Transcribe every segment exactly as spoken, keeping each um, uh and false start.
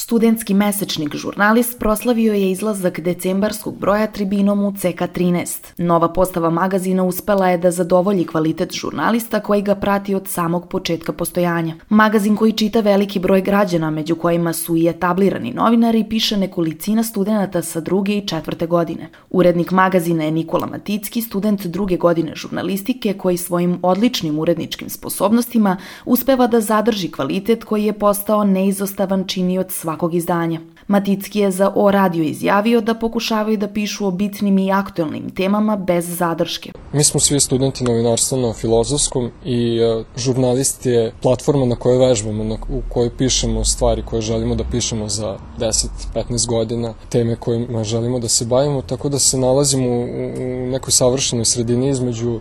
Studentski mesečnik Žurnalist proslavio je izlazak decembarskog broja tribinom u C K trinaest. Nova postava magazina uspela je da zadovolji kvalitet žurnalista koji ga prati od samog početka postojanja. Magazin koji čita veliki broj građana, među kojima su i etablirani novinari, piše nekolicina studenata sa druge i četvrte godine. Urednik magazina je Nikola Maticki, student druge godine žurnalistike koji svojim odličnim uredničkim sposobnostima uspeva da zadrži kvalitet koji je postao neizostavan činioc svakog izdanja. Maticki je za O radio izjavio da pokušavaju da pišu o bitnim i aktuelnim temama bez zadrške. Mi smo svi studenti novinarstva na Filozofskom i Žurnalist je platforma na kojoj vežbamo, na, u kojoj pišemo stvari koje želimo da pišemo za deset do petnaest godina, teme kojima želimo da se bavimo, tako da se nalazimo u, u nekoj savršenoj sredini između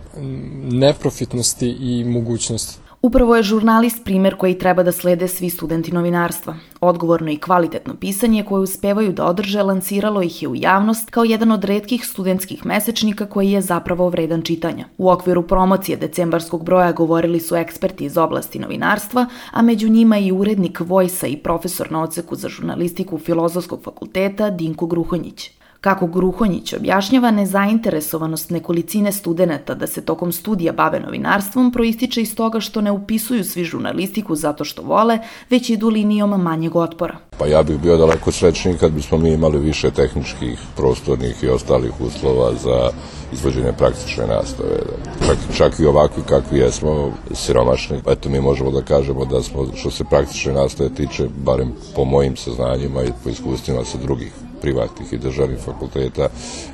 neprofitnosti i mogućnosti. Upravo je Žurnalist primer koji treba da slede svi studenti novinarstva. Odgovorno i kvalitetno pisanje koje uspevaju da održe lansiralo ih je u javnost kao jedan od retkih studentskih mesečnika koji je zapravo vredan čitanja. U okviru promocije decembarskog broja govorili su eksperti iz oblasti novinarstva, a među njima i urednik Vojsa i profesor na odseku za žurnalistiku Filozofskog fakulteta Dinko Gruhonjić. Kako Gruhonjić objašnjava, nezainteresovanost nekolicine studenata da se tokom studija bave novinarstvom proističe iz toga što ne upisuju svi žurnalistiku zato što vole, već idu linijom manjeg otpora. Pa ja bih bio daleko srećniji kad bismo mi imali više tehničkih, prostornih i ostalih uslova za izvođenje praktične nastave. Čak, čak i ovakvi kakvi jesmo, siromašni. Eto, mi možemo da kažemo da smo, što se praktične nastave tiče, barem po mojim saznanjima i po iskustvima sa drugih privatnih i državnih fakulteta,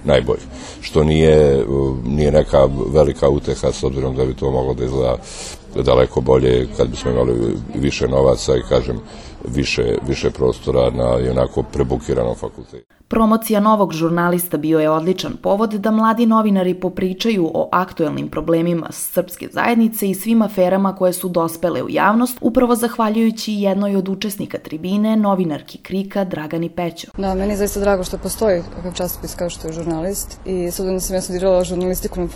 najbolji. Što nije, nije neka velika uteha, s obzirom da bi to moglo da izgleda daleko bolje kad bismo imali više novaca i, kažem, više, više prostora na onako prebukiranom fakultetu. Promocija novog Žurnalista bio je odličan povod da mladi novinari popričaju o aktuelnim problemima srpske zajednice i svim aferama koje su dospele u javnost, upravo zahvaljujući jednoj od učesnika tribine, novinarki Krika Dragani Pećo. Da, meni je zaista drago što postoji takav časopis kao što je Žurnalist i s obzirom da sam ja studirala žurnalistiku na,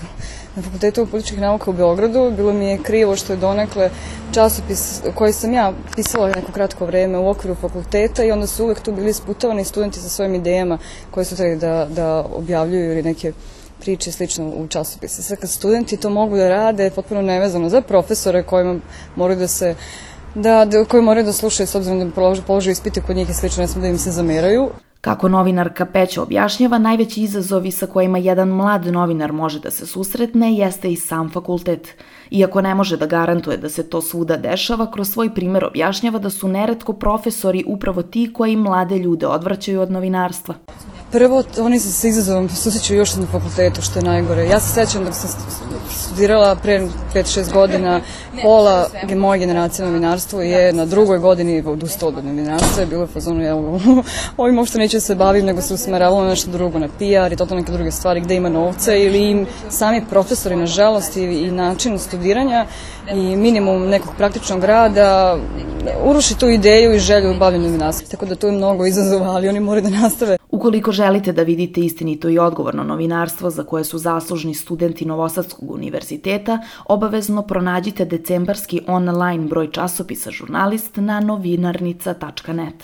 na Fakultetu političkih nauka u Beogradu, bilo mi je krivo što je donekle časopis koji sam ja pisala neko kratko vreme u okviru fakulteta i onda su uvek tu bili sputovani studenti sa svojim idejama koje su trebali da, da objavljuju ili neke priče slično u časopise. Sad kad studenti to mogu da rade, potpuno nevezano za profesore kojima moraju da se da, da, koji moraju da slušaju s obzirom da položaju, položaju ispite kod njih i slično, ne smo da im se zameraju. Kako novinarka Pećo objašnjava, najveći izazovi sa kojima jedan mlad novinar može da se susretne jeste i sam fakultet. Iako ne može da garantuje da se to svuda dešava, kroz svoj primer objašnjava da su neretko profesori upravo ti koji mlade ljude odvraćaju od novinarstva. Prvo, oni se sa izazovom susreću još na fakultetu, što je najgore. Ja se sećam da sam studirala pre pet šest godina, pola moje generacije novinarstvo je na drugoj godini odustao od novinarstva, je bilo je fazonu, ja ovim uopšte neću se bavim, nego se usmeravalo na nešto drugo, na P R i totalno neke druge stvari, gde ima novca, ili im sami profesori, nažalost, i, i način studiranja i minimum nekog praktičnog rada uruši tu ideju i želju bavljenja novinarstva. Tako da tu je mnogo izazova, ali oni moraju da nastave. Ukoliko želite da vidite istinito i odgovorno novinarstvo za koje su zaslužni studenti Novosadskog univerziteta, obavezno pronađite decembarski online broj časopisa Žurnalist na novinarnica tačka net.